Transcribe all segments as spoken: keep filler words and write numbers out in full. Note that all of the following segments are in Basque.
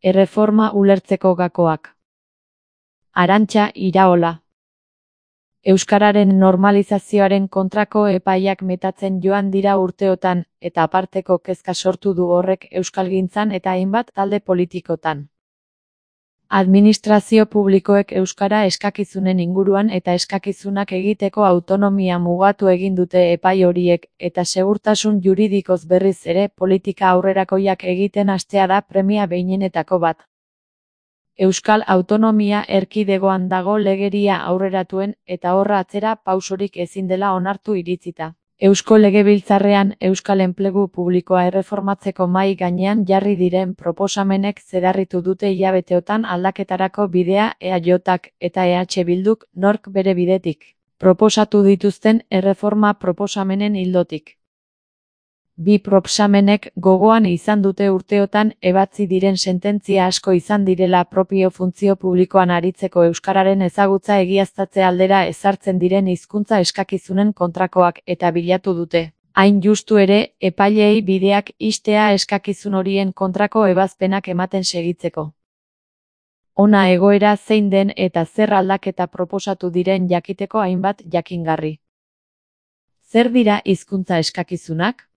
Erreforma ulertzeko gakoak. Arantxa Iraola. Euskararen normalizazioaren kontrako epaiak metatzen joan dira urteotan, eta aparteko kezka sortu du horrek euskalgintzan eta hainbat talde politikotan. Administrazio publikoek euskara eskakizunen inguruan eta eskakizunak egiteko autonomia mugatu egin dute epai horiek, eta segurtasun juridikoz berriz ere politika aurrerakoiak egiten hastea da premia behinenetako bat. Euskal Autonomia Erkidegoan dago legeria aurreratuen eta horra atzera pausorik ezin dela onartu iritzita. Eusko Legebiltzarrean Euskal Enplegu Publikoa erreformatzeko mahai gainean jarri diren proposamenek zedarritu dute hilabeteotan aldaketarako bidea E A Jk eta E H Bilduk nork bere bidetik proposatu dituzten erreforma proposamenen ildotik. Bi proposamenek gogoan izan dute urteotan ebatzi diren sententzia asko izan direla propio funtzio publikoan aritzeko euskararen ezagutza egiaztatze aldera ezartzen diren hizkuntza eskakizunen kontrakoak eta bilatu dute. Hain justu ere, epaileei bideak ixtea eskakizun horien kontrako ebazpenak ematen segitzeko. Hona egoera zein den eta zer aldaketa proposatu diren jakiteko hainbat jakingarri. Zer dira hizkuntza eskakizunak?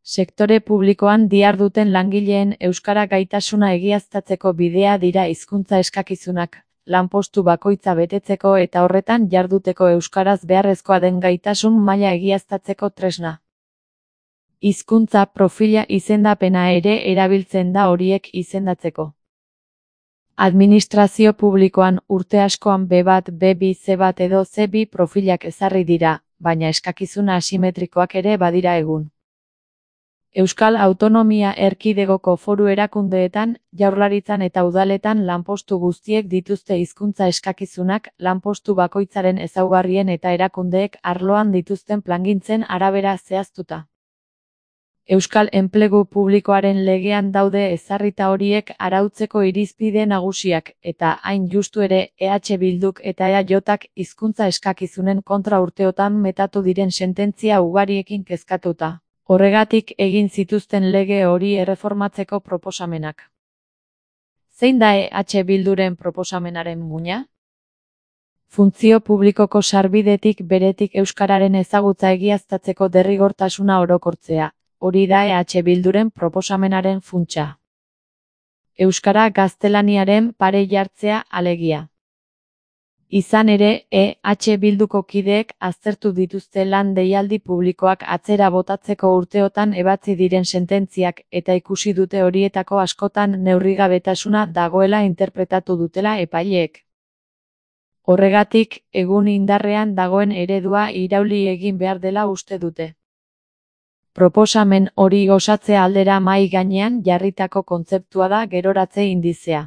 Sektore publikoan diharduten langileen euskara gaitasuna egiaztatzeko bidea dira hizkuntza eskakizunak, lanpostu bakoitza betetzeko eta horretan jarduteko euskaraz beharrezkoa den gaitasun maila egiaztatzeko tresna. Hizkuntza profila izendapena ere erabiltzen da horiek izendatzeko. Administrazio publikoan urte askoan be bat, be bi, ze bat edo ze bi profilak ezarri dira, baina eskakizuna asimetrikoak ere badira egun. Euskal Autonomia Erkidegoko foru erakundeetan, jaurlaritzan eta udaletan lanpostu guztiek dituzte hizkuntza eskakizunak, lanpostu bakoitzaren ezaugarrien eta erakundeek arloan dituzten plangintzen arabera zehaztuta. Euskal Enplegu Publikoaren legean daude ezarrita horiek arautzeko irizpide nagusiak, eta hain justu ere E H Bilduk eta E A Jk hizkuntza eskakizunen kontra urteotan metatu diren sententzia ugariekin kezkatuta. Horregatik egin zituzten lege hori erreformatzeko proposamenak. Zein da E H Bilduren proposamenaren muina? Funtzio publikoko sarbidetik beretik euskararen ezagutza egiaztatzeko derrigortasuna orokortzea, hori da E H Bilduren proposamenaren funtsa. Euskara gaztelaniaren pare jartzea alegia. Izan ere, E H Bilduko kideek aztertu dituzte lan deialdi publikoak atzera botatzeko urteotan ebatzi diren sententziak eta ikusi dute horietako askotan neurrigabetasuna dagoela interpretatu dutela epaileek. Horregatik, egun indarrean dagoen eredua irauli egin behar dela uste dute. Proposamen hori osatzea aldera mahai gainean jarritako kontzeptua da geroratze indizea.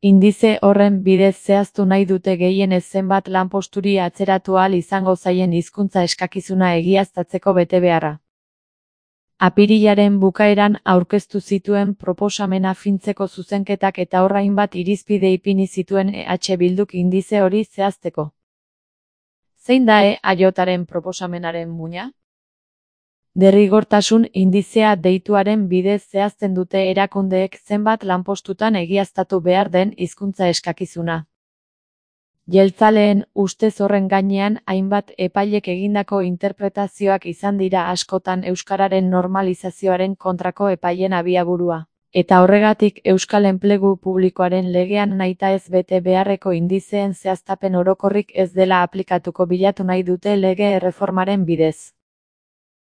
Indize horren bidez zehaztu nahi dute gehienez zenbat lanposturi atzeratu ahal izango zaien hizkuntza eskakizuna egiaztatzeko betebeharra. Apirilaren bukaeran aurkeztu zituen proposamena fintzeko zuzenketak eta horra hainbat irizpide ipini zituen E H Bilduk indize hori zehazteko. Zein da E A Jren proposamenaren muina? Derrigortasun indizea deituaren bidez zehazten dute erakundeek zenbat lanpostutan egiaztatu behar den hizkuntza eskakizuna. Jeltzaleen ustez horren gainean hainbat epailek egindako interpretazioak izan dira askotan euskararen normalizazioaren kontrako epailen abiaburua. Eta horregatik Euskal Enplegu Publikoaren legean nahitaez bete beharreko indizeen zehaztapen orokorrik ez dela aplikatuko bilatu nahi dute lege erreformaren bidez.